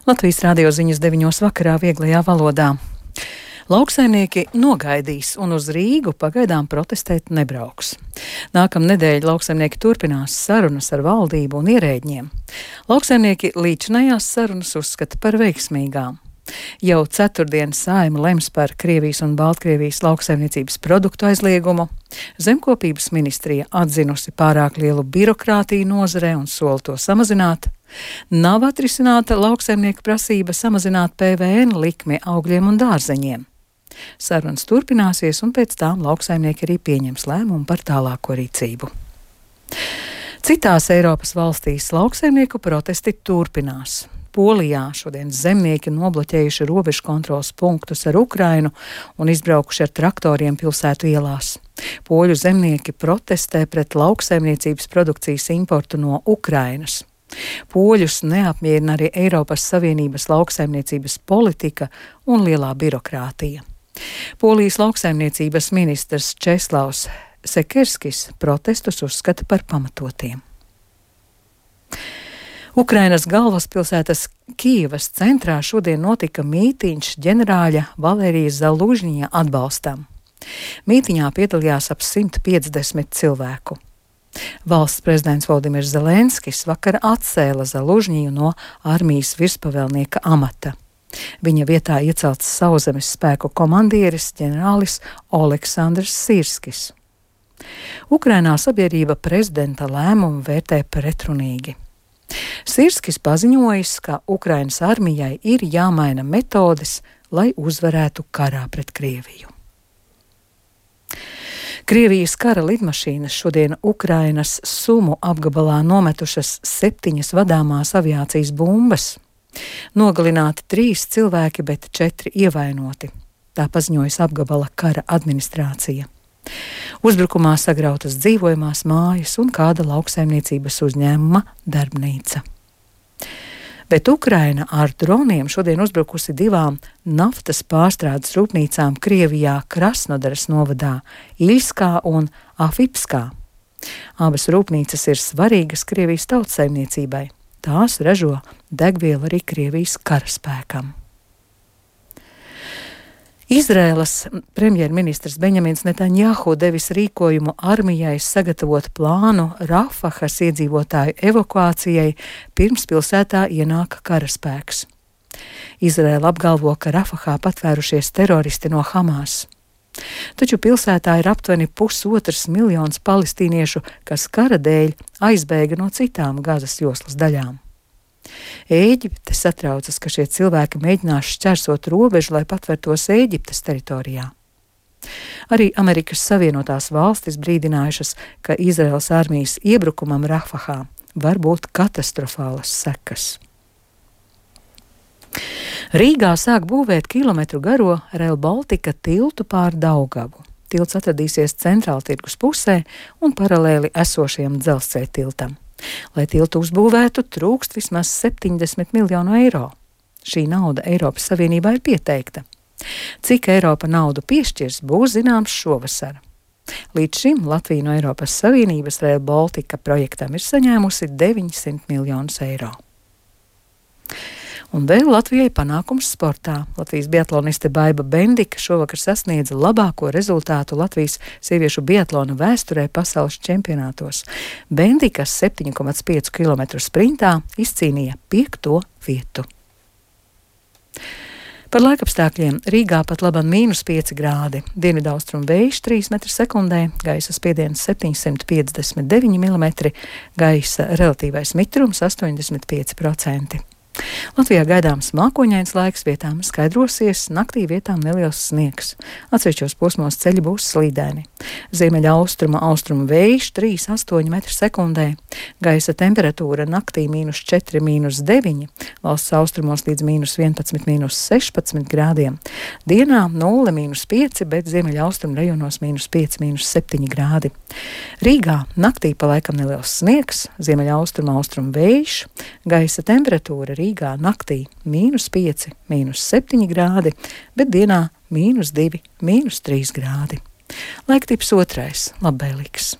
Latvijas radio ziņas 9 vakarā vieglajā valodā. Lauksaimnieki nogaidīs un uz Rīgu pagaidām protestēt nebrauks. Nākamnedēļ lauksaimnieki turpinās sarunas ar valdību un ierēģiem. Lauksaimnieki līdzinājās sarunas uzskata par veiksmīgām. Jau ceturtdien Saeima lems par Krievijas un Baltkrievijas lauksaimniecības produktu aizliegumu. Zemkopības ministrija atzinusi pārāk lielu birokrātiju nozarē un sola to samazināt. Nav atrisināta lauksaimnieku prasība samazināt PVN likmi augļiem un dārzeņiem. Sarunas turpināsies, un pēc tām lauksaimnieki arī pieņems lēmumu par tālāko rīcību. Citās Eiropas valstīs lauksaimnieku protesti turpinās. Polijā šodien zemnieki nobloķējuši robežu kontroles punktus ar Ukrainu un izbraukuši ar traktoriem pilsētu ielās. Poļu zemnieki protestē pret lauksaimniecības produkcijas importu no Ukrainas. Poļus neapmierina arī Eiropas Savienības lauksaimniecības politika un lielā birokrātija. Polijas lauksaimniecības ministrs Česlavs Sekerskis protestus uzskata par pamatotiem. Ukrainas galvaspilsētas Kijevas centrā šodien notika mītīņš ģenerāļa Valērija Zalužņija atbalstam. Mītiņā piedalījās ap 150 cilvēku. Valsts prezidents Voldimirs Zelenskis vakar atcēla Zalužņiju no armijas virspavēlnieka amata. Viņa vietā iecelts sauszemes spēku komandieris ģenerālis Oleksandrs Sirskis. Ukrainā sabiedrība prezidenta lēmumu vērtē pretrunīgi. Sirskis paziņojis, ka Ukrainas armijai ir jāmaina metodes, lai uzvarētu karā pret Krieviju. Krievijas kara lidmašīnas šodien Ukrainas Sumu apgabalā nometušas 7 vadāmās aviācijas bumbas. Nogalināti 3 cilvēki, bet 4 ievainoti. Tā paziņojas apgabala kara administrācija. Uzbrukumā sagrautas dzīvojamās mājas un kāda lauksaimniecības uzņēmuma darbnīca. Bet Ukraina ar droniem šodien uzbrukusi 2 naftas pārstrādes rūpnīcām Krievijā Krasnodaras novadā Iļskā un Afipskā. Abas rūpnīcas ir svarīgas Krievijas tautsaimniecībai. Tās ražo degvielu arī Krievijas karaspēkam. Izraēlas premjerministrs Benjamins Netanjahu devis rīkojumu armijai sagatavot plānu Rafahas iedzīvotāju evakuācijai, pirms pilsētā ienāk karaspēks. Izraēla apgalvo, ka Rafahā patvērušies teroristi no Hamas. Taču pilsētā ir aptuveni 1,5 miljons palestīniešu, kas kara dēļ aizbēga no citām Gazas joslas daļām. Ēģipte satraucas, ka šie cilvēki mēģinās šķērsot robežu, lai patvērtos Ēģiptes teritorijā. Arī Amerikas Savienotās valstis brīdinājušas, ka Izraēlas armijas iebrukumam Rafahā var būt katastrofālas sekas. Rīgā sāk būvēt kilometru garo Rail Baltica tiltu pār Daugavu. Tilts atradīsies Centrāltirgus pusē un paralēli esošajam dzelzceļa tiltam. Lai tiltu uzbūvētu, trūkst vismaz 70 miljonu eiro. Šī nauda Eiropas Savienībā ir pieteikta. Cik Eiropa naudu piešķirs, būs zināms šovasar. Līdz šim Latvija no Eiropas Savienības Rail Baltica projektam ir saņēmusi 900 miljonus eiro. Un vēl Latvijai panākums sportā. Latvijas biatloniste Baiba Bendika šovakar sasniedza labāko rezultātu Latvijas sieviešu biatlona vēsturē pasaules čempionātos. Bendika 7,5 km sprintā izcīnīja 5. vietu. Par laikapstākļiem Rīgā pat labam -5 grādi, dienvidaustrumu vējš 3 m/sekundē, gaisa spiediens 759 mm, gaisa relatīvais mitrums 85%. Latvijā gaidāms mākoņains laiks, vietām skaidrosies, naktī vietām neliels sniegs. Atsevišķos posmos ceļi būs slīdēni. Ziemeļaustrumu vējš 3,8 m/sekundē. Gaisa temperatūra naktī -4, -9, valsts austrumos līdz -11, -16 grādiem. Dienā 0, -5, bet ziemeļaustrumu rajonos -5, -7 grādi. Rīgā naktī pa laikam neliels sniegs, ziemeļaustrumu vējš, gaisa temperatūra Rīgā naktī -5, -7 grādi, bet dienā -2, -3 grādi. Laiktips 2. labvēlīgs.